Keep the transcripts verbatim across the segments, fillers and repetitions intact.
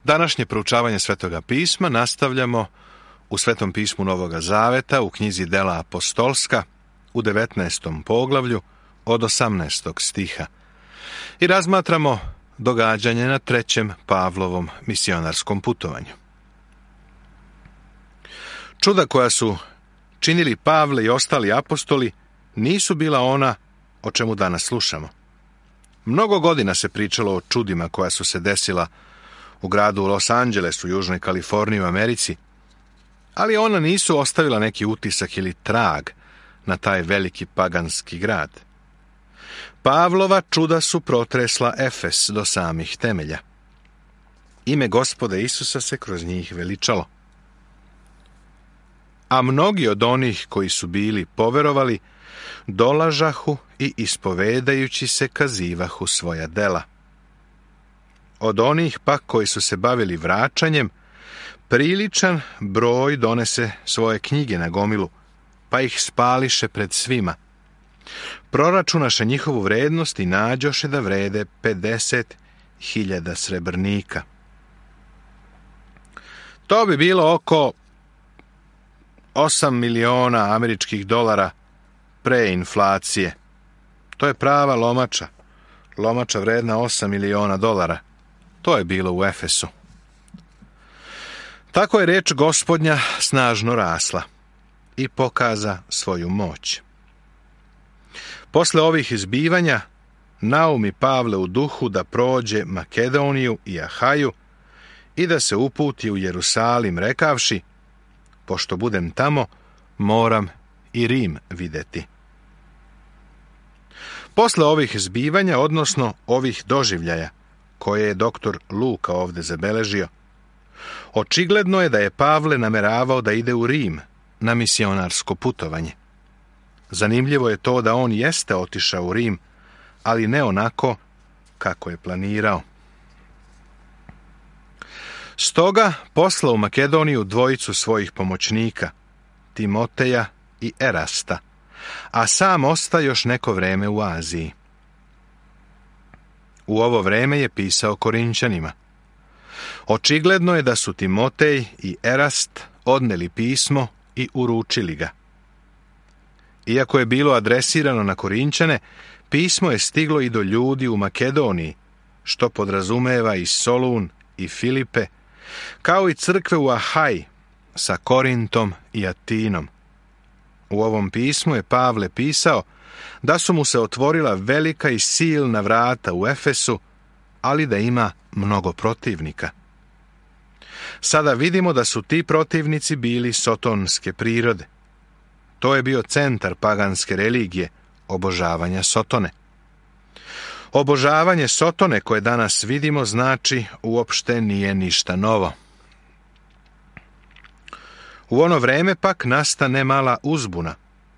Današnje proučavanje Svetoga pisma nastavljamo u Svetom pismu Novoga Zaveta u knjizi Dela apostolska u devetnaestom poglavlju od osamnaestog stiha i razmatramo događanje na trećem Pavlovom misionarskom putovanju. Čuda koja su činili Pavle i ostali apostoli nisu bila ona o čemu danas slušamo. Mnogo godina se pričalo o čudima koja su se desila u gradu Los Angeles u Južnoj Kaliforniji u Americi, ali ona nisu ostavila neki utisak ili trag na taj veliki paganski grad. Pavlova čuda su protresla Efes do samih temelja. Ime Gospoda Isusa se kroz njih veličalo. A mnogi od onih koji su bili poverovali, dolažahu i ispovedajući se kazivahu svoja dela. Od onih pak koji su se bavili vraćanjem, priličan broj donese svoje knjige na gomilu, pa ih spališe pred svima. Proračunaše njihovu vrednost i nađoše da vrede pedeset hiljada srebrnika. To bi bilo oko osam miliona američkih dolara pre inflacije. To je prava lomača. Lomača vredna osam miliona dolara. To je bilo u Efesu. Tako je reč Gospodnja snažno rasla i pokaza svoju moć. Posle ovih izbivanja, naumi Pavle u duhu da prođe Makedoniju i Ahaju i da se uputi u Jerusalim, rekavši, pošto budem tamo, moram i Rim videti. Posle ovih zbivanja, odnosno ovih doživljaja, koje je doktor Luka ovdje zabeležio, očigledno je da je Pavle nameravao da ide u Rim na misionarsko putovanje. Zanimljivo je to da on jeste otišao u Rim, ali ne onako kako je planirao. Stoga poslao u Makedoniju dvojicu svojih pomoćnika, Timoteja i Erasta, a sam osta još neko vreme u Aziji. U ovo vreme je pisao Korinćanima. Očigledno je da su Timotej i Erast odneli pismo i uručili ga. Iako je bilo adresirano na Korinćane, pismo je stiglo i do ljudi u Makedoniji, što podrazumeva i Solun i Filipe, kao i crkve u Ahaji sa Korintom i Atinom. U ovom pismu je Pavle pisao da su mu se otvorila velika i silna vrata u Efesu, ali da ima mnogo protivnika. Sada vidimo da su ti protivnici bili sotonske prirode. To je bio centar paganske religije, obožavanja Sotone. Obožavanje Sotone koje danas vidimo znači uopšte nije ništa novo. U ono vreme pak nastane mala uzbuna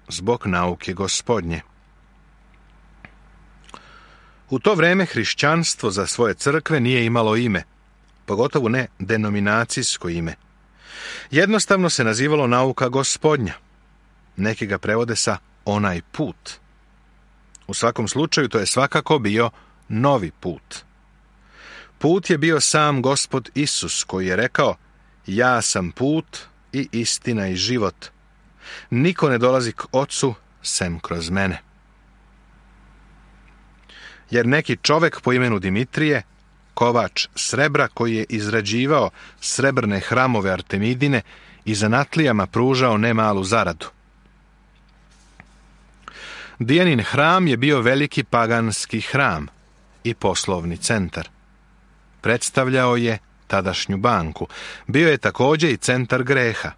zbog nauke Gospodnje. U to vreme hrišćanstvo za svoje crkve nije imalo ime, pogotovo ne denominacijsko ime. Jednostavno se nazivalo nauka Gospodnja. Neki ga prevode sa onaj put. U svakom slučaju to je svakako bio novi put. Put je bio sam Gospod Isus koji je rekao, ja sam put i istina i život. Niko ne dolazi k Ocu sem kroz mene. Jer neki čovek po imenu Dimitrije, kovač srebra koji je izrađivao srebrne hramove Artemidine i zanatlijama pružao nemalu zaradu. Dijanin hram je bio veliki paganski hram i poslovni centar. Predstavljao je tadašnju banku. Bio je također i centar greha.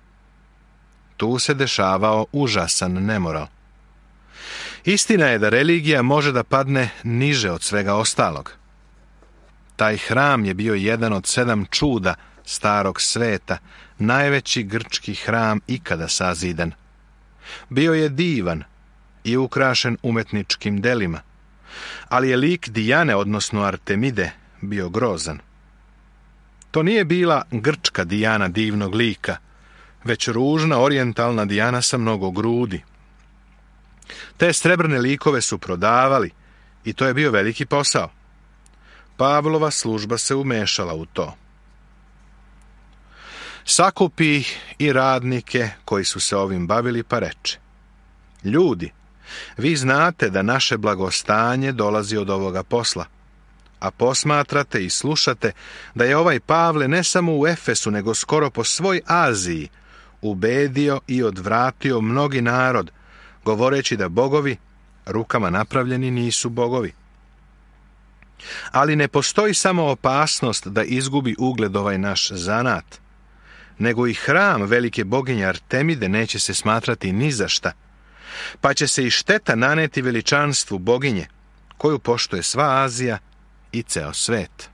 Tu se dešavao užasan nemoral. Istina je da religija može da padne niže od svega ostalog. Taj hram je bio jedan od sedam čuda starog sveta, najveći grčki hram ikada sazidan. Bio je divan i ukrašen umetničkim delima, ali je lik Dijane, odnosno Artemide, bio grozan. To nije bila grčka Dijana divnog lika, već ružna orijentalna Dijana sa mnogo grudi. Te srebrne likove su prodavali i to je bio veliki posao. Pavlova služba se umešala u to. Sakupi ih i radnike koji su se ovim bavili, pa reče: ljudi, vi znate da naše blagostanje dolazi od ovoga posla, a posmatrate i slušate da je ovaj Pavle ne samo u Efesu, nego skoro po svoj Aziji ubedio i odvratio mnogi narod, govoreći da bogovi rukama napravljeni nisu bogovi. Ali ne postoji samo opasnost da izgubi ugled ovaj naš zanat, nego i hram velike boginje Artemide neće se smatrati ni za šta, pa će se i šteta naneti veličanstvu boginje, koju poštuje sva Azija i ceo svet.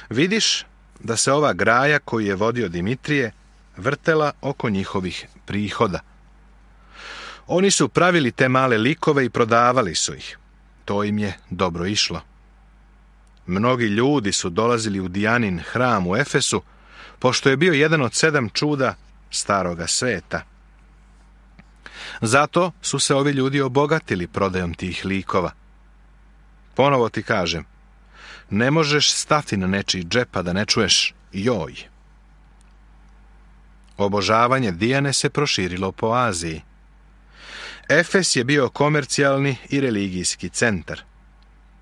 Vidiš da se ova graja koju je vodio Dimitrije vrtela oko njihovih prihoda. Oni su pravili te male likove i prodavali su ih. To im je dobro išlo. Mnogi ljudi su dolazili u Dijanin hram u Efesu, pošto je bio jedan od sedam čuda staroga sveta. Zato su se ovi ljudi obogatili prodajom tih likova. Ponovo ti kažem, ne možeš stati na nečiji džep, a da ne čuješ joj. Obožavanje Dijane se proširilo po Aziji. Efes je bio komercijalni i religijski centar.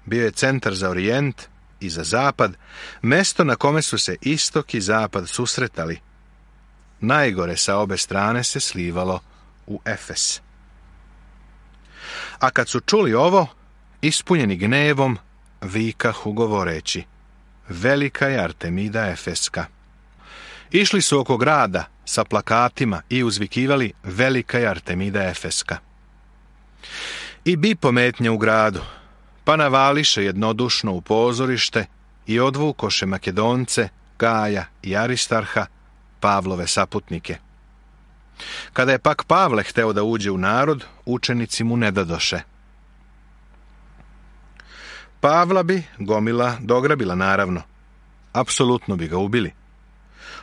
Bio je centar za Orijent i za Zapad, mesto na kome su se istok i zapad susretali. Najgore sa obe strane se slivalo u Efes. A kad su čuli ovo, ispunjeni gnevom, vikahu govoreći: velika je Artemida Efeska. Išli su oko grada sa plakatima i uzvikivali: velika je Artemida Efeska. I bi pometnje u gradu, pa navališe jednodušno u pozorište i odvukoše Makedonce, Gaja i Aristarha, Pavlove saputnike. Kada je pak Pavle hteo da uđe u narod, učenici mu ne dadoše. Pavla bi gomila dograbila, naravno. Apsolutno bi ga ubili.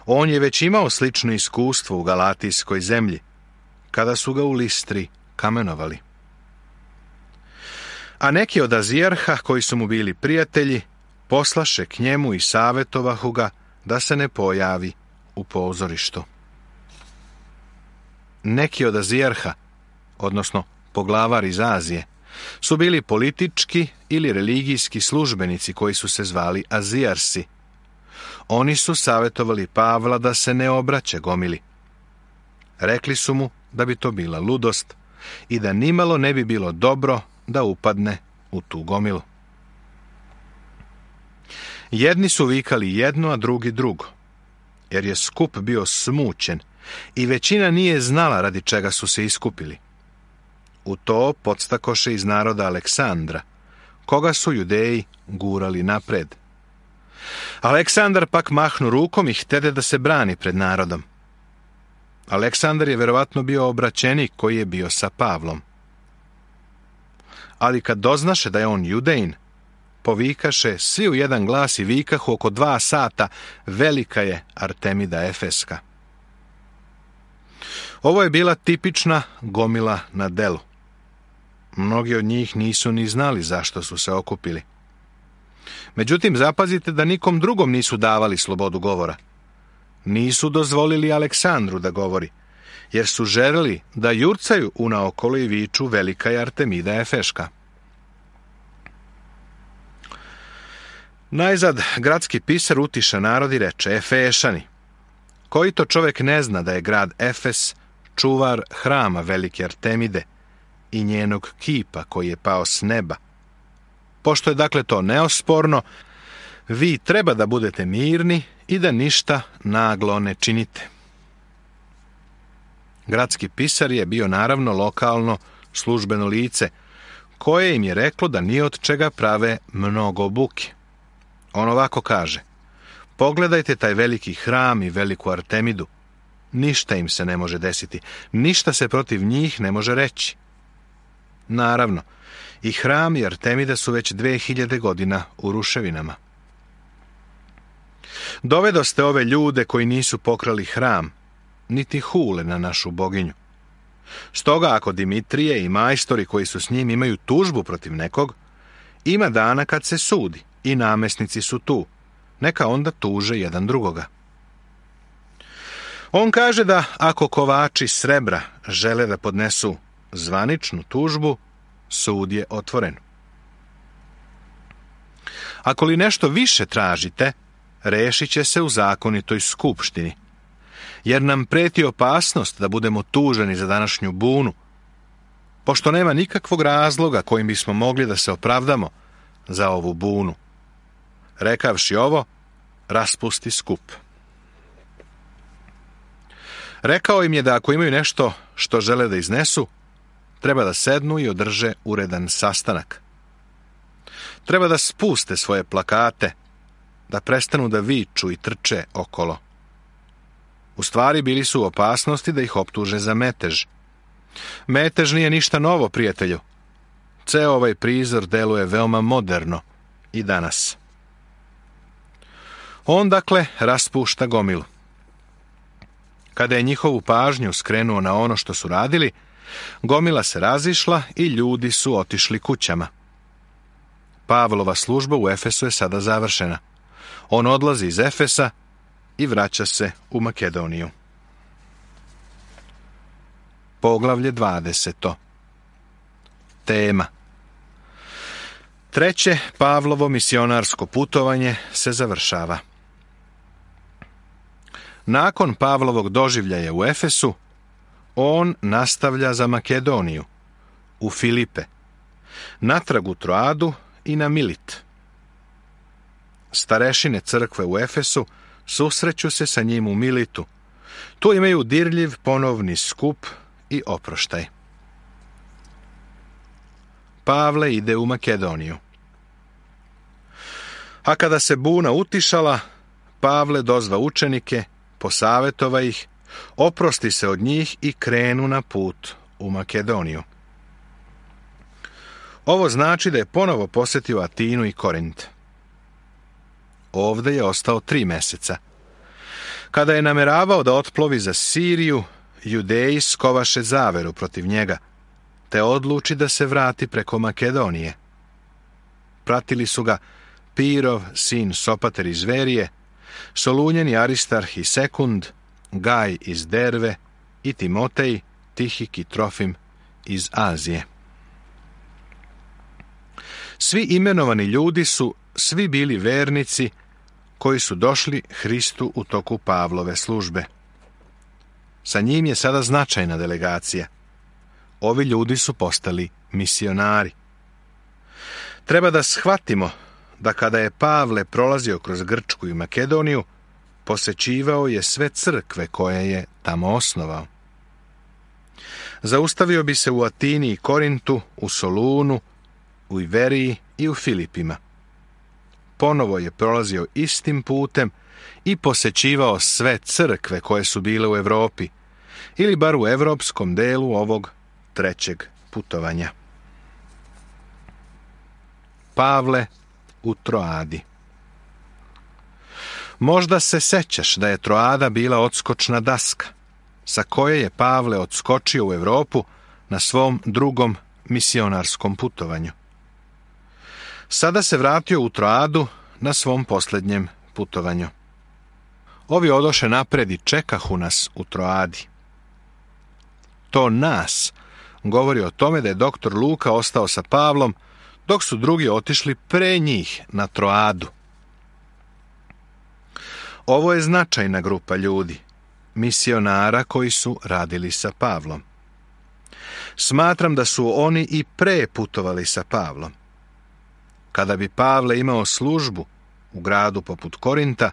On je već imao slično iskustvo u Galatijskoj zemlji, kada su ga u Listri kamenovali. A neki od Azijarha, koji su mu bili prijatelji, poslaše k njemu i savjetovahu ga da se ne pojavi u pozorištu. Neki od Azijarha, odnosno poglavar iz Azije, su bili politički ili religijski službenici koji su se zvali Azijarsi. Oni su savjetovali Pavla da se ne obraća gomili. Rekli su mu da bi to bila ludost i da nimalo ne bi bilo dobro da upadne u tu gomilu. Jedni su vikali jedno, a drugi drugo, jer je skup bio smućen i većina nije znala radi čega su se iskupili. U to podstakoše iz naroda Aleksandra, koga su Judeji gurali napred. Aleksandar pak mahnu rukom i htede da se brani pred narodom. Aleksandar je verovatno bio obraćenik koji je bio sa Pavlom. Ali kad doznaše da je on Judejin, povikaše svi u jedan glas i vikahu oko dva sata: velika je Artemida Efeska. Ovo je bila tipična gomila na delu. Mnogi od njih nisu ni znali zašto su se okupili. Međutim, zapazite da nikom drugom nisu davali slobodu govora. Nisu dozvolili Aleksandru da govori, jer su želeli da jurcaju unaokolo i viču: velika je Artemida Efeška. Najzad gradski pisar utiša narod i reče: Efešani, koji to čovjek ne zna da je grad Efes čuvar hrama velike Artemide i njenog kipa koji je pao s neba? Pošto je dakle to neosporno, vi treba da budete mirni i da ništa naglo ne činite. Gradski pisar je bio naravno lokalno službeno lice, koje im je reklo da ni od čega prave mnogo buke. On ovako kaže: pogledajte taj veliki hram i veliku Artemidu. Ništa im se ne može desiti, ništa se protiv njih ne može reći. Naravno, i hram i Artemida su već dve hiljade godina u ruševinama. Dovedoste ove ljude koji nisu pokrali hram, niti hule na našu boginju. Stoga ako Dimitrije i majstori koji su s njim imaju tužbu protiv nekog, ima dana kad se sudi i namesnici su tu, neka onda tuže jedan drugoga. On kaže da ako kovači srebra žele da podnesu zvaničnu tužbu, sud je otvoren. Ako li nešto više tražite, rešit će se u zakonitoj skupštini, jer nam preti opasnost da budemo tuženi za današnju bunu, pošto nema nikakvog razloga kojim bismo mogli da se opravdamo za ovu bunu. Rekavši ovo, raspusti skup. Rekao im je da ako imaju nešto što žele da iznesu, treba da sednu i održe uredan sastanak. Treba da spuste svoje plakate, da prestanu da viču i trče okolo. U stvari bili su u opasnosti da ih optuže za metež. Metež nije ništa novo, prijatelju. Ceo ovaj prizor deluje veoma moderno i danas. On, dakle, raspušta gomilu. Kada je njihovu pažnju skrenuo na ono što su radili, gomila se razišla i ljudi su otišli kućama. Pavlova služba u Efesu je sada završena. On odlazi iz Efesa i vraća se u Makedoniju. Poglavlje dvadeseto. Tema. Treće Pavlovo misionarsko putovanje se završava. Nakon Pavlovog doživljaja u Efesu, on nastavlja za Makedoniju, u Filipe, natrag u Troadu i na Milit. Starešine crkve u Efesu susreću se sa njim u Militu. Tu imaju dirljiv ponovni skup i oproštaj. Pavle ide u Makedoniju. A kada se buna utišala, Pavle dozva učenike, posavetova ih, oprosti se od njih i krenu na put u Makedoniju. Ovo znači da je ponovo posjetio Atinu i Korint. Ovde je ostao tri meseca. Kada je nameravao da otplovi za Siriju, Judeji skovaše zaveru protiv njega, te odluči da se vrati preko Makedonije. Pratili su ga Pirov, sin Sopater iz Verije, Solunjeni Aristarh i Sekund, Gaj iz Derve i Timotej, Tihik i Trofim iz Azije. Svi imenovani ljudi su svi bili vernici koji su došli Hristu u toku Pavlove službe. Sa njim je sada značajna delegacija. Ovi ljudi su postali misionari. Treba da shvatimo da kada je Pavle prolazio kroz Grčku i Makedoniju, posećivao je sve crkve koje je tamo osnovao. Zaustavio bi se u Atini i Korintu, u Solunu, u Iveriji i u Filipima. Ponovo je prolazio istim putem i posećivao sve crkve koje su bile u Evropi, ili bar u evropskom delu ovog trećeg putovanja. Pavle u Troadi. Možda se sećaš da je Troada bila odskočna daska, sa koje je Pavle odskočio u Evropu na svom drugom misionarskom putovanju. Sada se vratio u Troadu na svom posljednjem putovanju. Ovi odoše napred i čekahu nas u Troadi. To nas govori o tome da je doktor Luka ostao sa Pavlom, dok su drugi otišli pre njih na Troadu. Ovo je značajna grupa ljudi, misionara koji su radili sa Pavlom. Smatram da su oni i pre putovali sa Pavlom. Kada bi Pavle imao službu u gradu poput Korinta,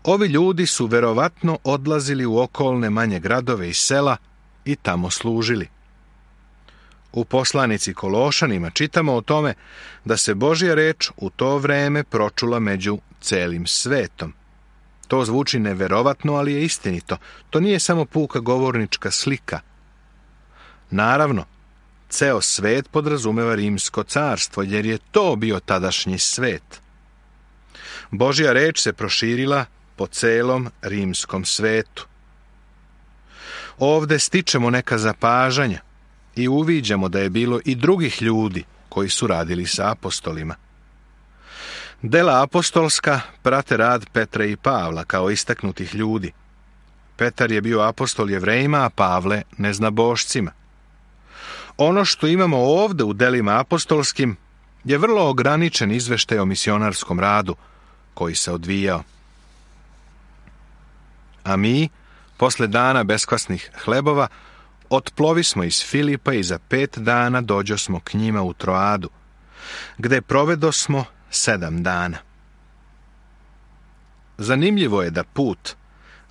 ovi ljudi su verovatno odlazili u okolne manje gradove i sela i tamo služili. U poslanici Kološanima čitamo o tome da se Božja reč u to vreme pročula među celim svetom. To zvuči neverovatno, ali je istinito. To nije samo puka govornička slika. Naravno, ceo svet podrazumeva Rimsko carstvo, jer je to bio tadašnji svet. Božja reč se proširila po celom rimskom svetu. Ovde stičemo neka zapažanja i uviđamo da je bilo i drugih ljudi koji su radili sa apostolima. Dela apostolska prate rad Petra i Pavla kao istaknutih ljudi. Petar je bio apostol Jevrejima, a Pavle neznabošcima. Ono što imamo ovdje u delima apostolskim je vrlo ograničen izveštaj o misionarskom radu koji se odvijao. A mi, posle dana beskvasnih hlebova, otplovismo iz Filipa i za pet dana dođosmo k njima u Troadu, gde provedosmo sedam dana. Zanimljivo je da put,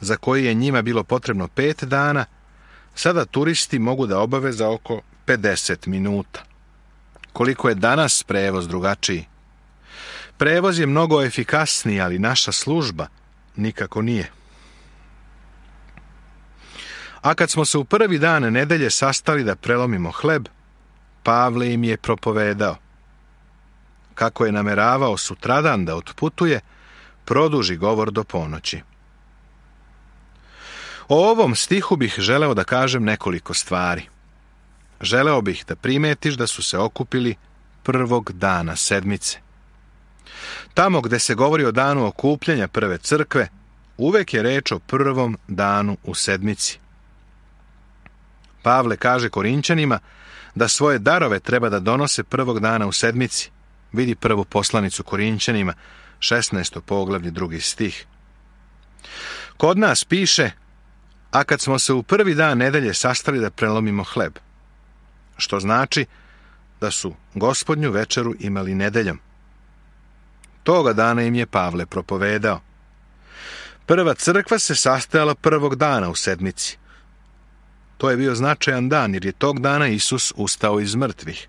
za koji je njima bilo potrebno pet dana, sada turisti mogu da obave za oko pedeset minuta. Koliko je danas prevoz drugačiji? Prevoz je mnogo efikasniji, ali naša služba nikako nije. A kad smo se u prvi dan nedelje sastali da prelomimo hleb, Pavle im je propovedao. Kako je nameravao sutradan da otputuje, produži govor do ponoći. O ovom stihu bih želeo da kažem nekoliko stvari. Želeo bih da primetiš da su se okupili prvog dana sedmice. Tamo gde se govori o danu okupljanja prve crkve, uvek je reč o prvom danu u sedmici. Pavle kaže Korinćanima da svoje darove treba da donose prvog dana u sedmici. Vidi prvu poslanicu Korinćanima, šesnaesto poglavlje, drugi stih. Kod nas piše, a kad smo se u prvi dan nedelje sastali da prelomimo hleb, što znači da su gospodnju večeru imali nedeljom. Toga dana im je Pavle propovedao. Prva crkva se sastajala prvog dana u sedmici. To je bio značajan dan, jer je tog dana Isus ustao iz mrtvih.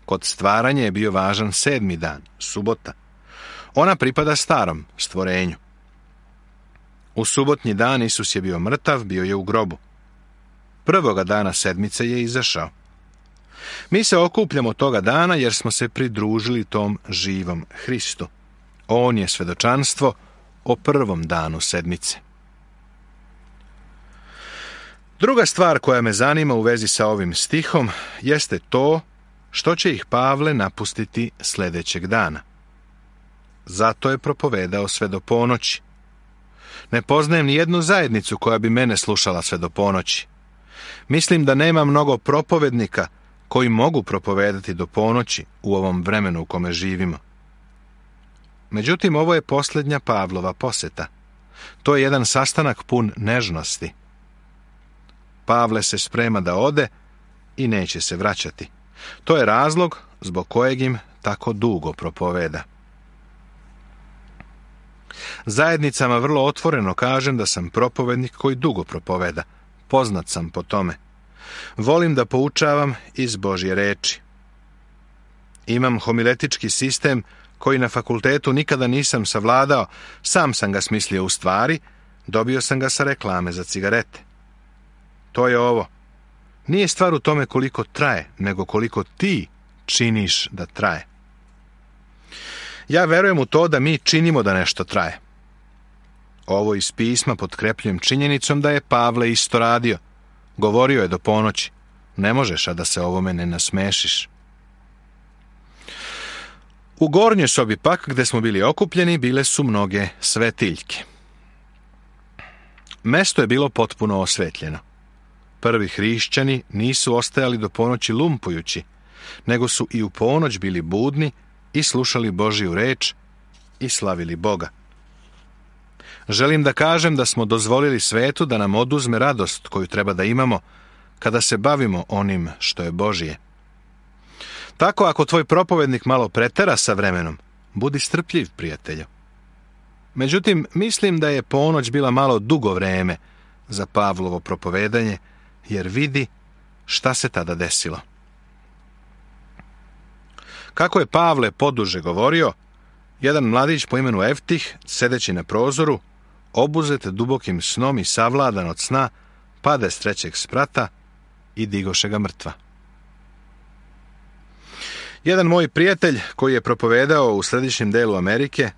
Kod stvaranja je bio važan sedmi dan, subota. Ona pripada starom stvorenju. U subotnji dan Isus je bio mrtav, bio je u grobu. Prvoga dana sedmice je izašao. Mi se okupljamo toga dana jer smo se pridružili tom živom Hristu. On je svedočanstvo o prvom danu sedmice. Druga stvar koja me zanima u vezi sa ovim stihom jeste to što će ih Pavle napustiti sljedećeg dana. Zato je propovedao sve do ponoći. Ne poznajem ni jednu zajednicu koja bi mene slušala sve do ponoći. Mislim da nema mnogo propovednika koji mogu propovedati do ponoći u ovom vremenu u kome živimo. Međutim, ovo je posljednja Pavlova poseta. To je jedan sastanak pun nežnosti. Pavle se sprema da ode i neće se vraćati. To je razlog zbog kojeg im tako dugo propoveda. Zajednicama vrlo otvoreno kažem da sam propovednik koji dugo propoveda. Poznat sam po tome. Volim da poučavam iz Božje reči. Imam homiletički sistem koji na fakultetu nikada nisam savladao, sam sam ga smislio u stvari, dobio sam ga sa reklame za cigarete. To je ovo. Nije stvar u tome koliko traje, nego koliko ti činiš da traje. Ja verujem u to da mi činimo da nešto traje. Ovo iz pisma potkrepljujem činjenicom da je Pavle isto radio. Govorio je do ponoći. Ne možeš, a da se ovome ne nasmešiš. U gornjoj sobi pak, gde smo bili okupljeni, bile su mnoge svetiljke. Mesto je bilo potpuno osvetljeno. Prvi hrišćani nisu ostajali do ponoći lumpujući, nego su i u ponoć bili budni i slušali Božju reč i slavili Boga. Želim da kažem da smo dozvolili svetu da nam oduzme radost koju treba da imamo kada se bavimo onim što je Božje. Tako ako tvoj propovednik malo pretera sa vremenom, budi strpljiv, prijatelju. Međutim, mislim da je ponoć bila malo dugo vreme za Pavlovo propovedanje, jer vidi šta se tada desilo. Kako je Pavle poduže govorio, jedan mladić po imenu Eftih, sedeći na prozoru, obuzet dubokim snom i savladan od sna, pade s trećeg sprata i digoše ga mrtva. Jedan moj prijatelj, koji je propovedao u središnjem delu Amerike,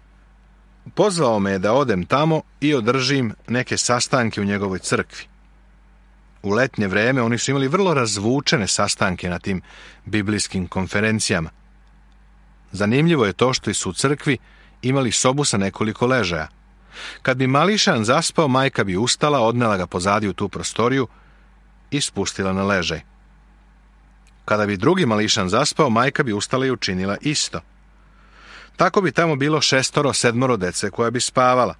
pozvao me da odem tamo i održim neke sastanke u njegovoj crkvi. U letnje vreme oni su imali vrlo razvučene sastanke na tim biblijskim konferencijama. Zanimljivo je to što su u crkvi imali sobu sa nekoliko ležaja. Kad bi mališan zaspao, majka bi ustala, odnela ga pozadi u tu prostoriju i spustila na ležaj. Kada bi drugi mališan zaspao, majka bi ustala i učinila isto. Tako bi tamo bilo šestoro, sedmoro dece koja bi spavala.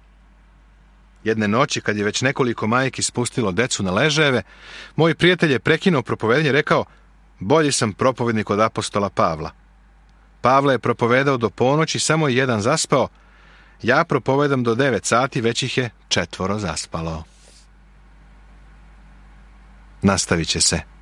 Jedne noći, kad je već nekoliko majki spustilo decu na ležajeve, moj prijatelj je prekinuo propovedanje i rekao: bolji sam propovednik od apostola Pavla. Pavle je propovedao do ponoći, samo je jedan zaspao. Ja propovedam do devet sati, već ih je četvoro zaspalo. Nastavit će se.